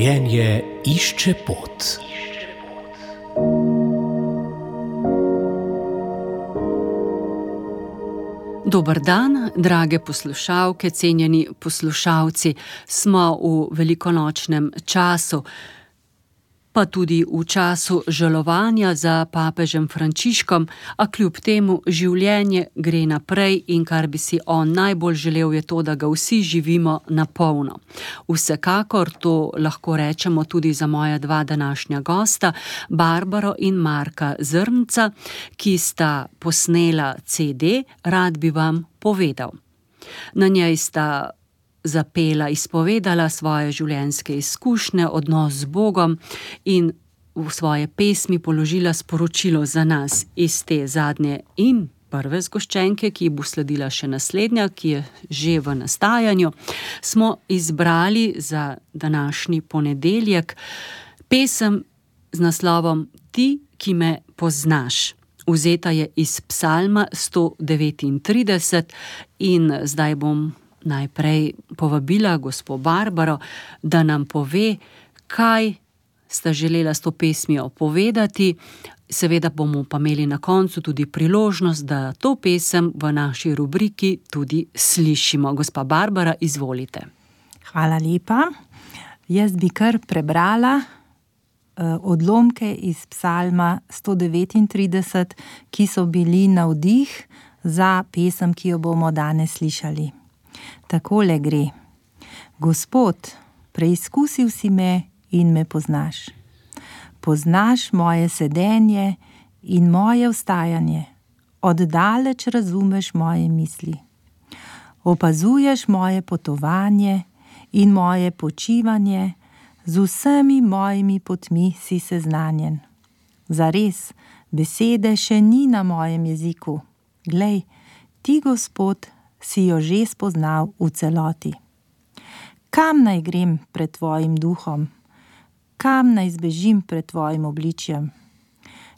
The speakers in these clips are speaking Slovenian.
Življenje išče pot. Dober dan, drage poslušalke, cenjeni poslušalci. Smo v velikonočnem času, pa tudi v času žalovanja za papežem Frančiškom, a kljub temu življenje gre naprej in kar bi si on najbolj želel je to, da ga vsi živimo na polno. Vsekakor to lahko rečemo tudi za moja dva današnja gosta, Barbaro in Marka Zrnca, ki sta posnela CD Rad bi vam povedal. Na njej sta zapela, izpovedala svoje življenjske izkušnje, odnos z Bogom in v svoje pesmi položila sporočilo za nas iz te zadnje in prve zgoščenke, ki bo sledila še naslednja, ki je že v nastajanju. Smo izbrali za današnji ponedeljek pesem z naslovom Ti, ki me poznaš. Vzeta je iz Psalma 139 in zdaj bom najprej povabila gospo Barbaro, da nam pove, kaj sta želela s to pesmijo povedati. Seveda bomo pa imeli na koncu tudi priložnost, da to pesem v naši rubriki tudi slišimo. Gospa Barbara, izvolite. Hvala lepa. Jaz bi kar prebrala odlomke iz Psalma 139, ki so bili navdih za pesem, ki jo bomo danes slišali. Takole gre. Gospod, preizkusil si me in me poznaš. Poznaš moje sedenje in moje vstajanje. Oddaleč razumeš moje misli. Opazuješ moje potovanje in moje počivanje, z vsemi mojimi potmi si seznanjen. Zares, besede še ni na mojem jeziku. Glej, ti, Gospod, si jo že spoznal v celoti. Kam naj grem pred tvojim duhom? Kam naj zbežim pred tvojim obličjem?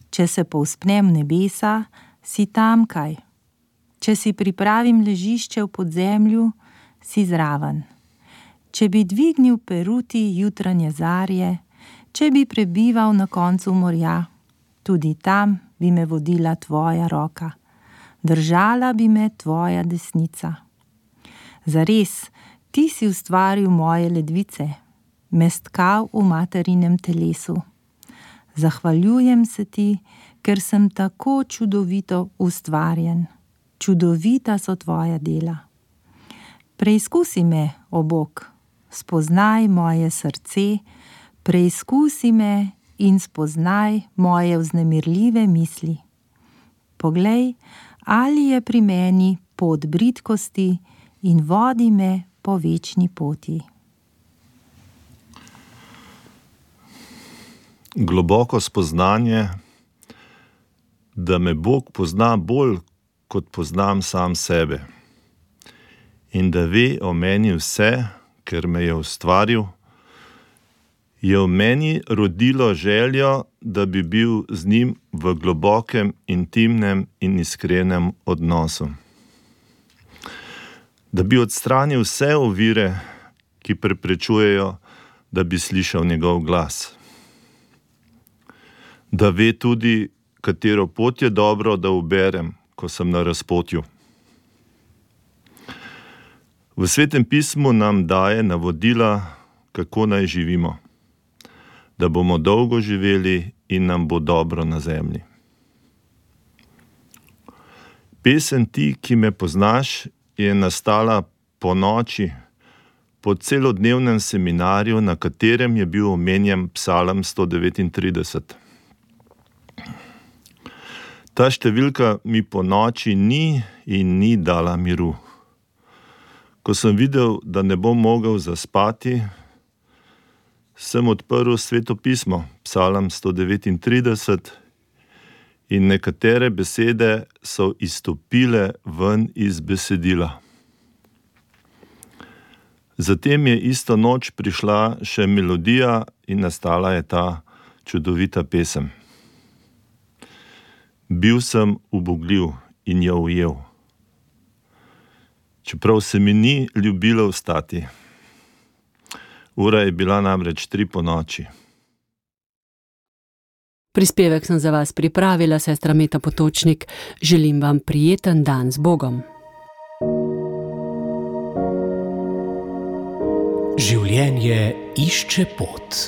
Če se povzpnem v nebesa, si tamkaj. Če si pripravim ležišče v podzemlju, si zraven. Če bi dvignil peruti jutranje zarje, če bi prebival na koncu morja, tudi tam bi me vodila tvoja roka. Držala bi me tvoja desnica. Zares, ti si ustvaril moje ledvice, me stkal v materinem telesu. Zahvaljujem se ti, ker sem tako čudovito ustvarjen. Čudovita so tvoja dela. Preizkusi me, o Bog, spoznaj moje srce, preizkusi me in spoznaj moje vznemirljive misli. Poglej, ali je pri meni pot bridkosti in vodi me po večni poti. Globoko spoznanje, da me Bog pozna bolj, kot poznam sam sebe. In da ve o meni vse, ker me je ustvaril, je v meni rodilo željo, da bi bil z njim v globokem, intimnem in iskrenem odnosu. Da bi odstranil vse ovire, ki preprečujejo, da bi slišal njegov glas. Da ve tudi, katero pot je dobro, da uberem, ko sem na razpotju. V Svetem pismu nam daje navodila, kako naj živimo. Da bomo dolgo živeli in nam bo dobro na zemlji. Pesem Ti, ki me poznaš, je nastala po noči, po celodnevnem seminarju, na katerem je bil omenjen Psalm 139. Ta številka mi po noči ni in ni dala miru. Ko sem videl, da ne bom mogel zaspati, sem odprl Sveto pismo, Psalm 139, in nekatere besede so izstopile ven iz besedila. Zatem je isto noč prišla še melodija in nastala je ta čudovita pesem. Bil sem ubogljiv in jo ujel. čeprav se mi ni ljubilo vstati. Ura je bila namreč 3 ponoči. Prispevek sem za vas pripravila, sestra Meta Potočnik. Želim vam prijeten dan z Bogom. Življenje išče pot.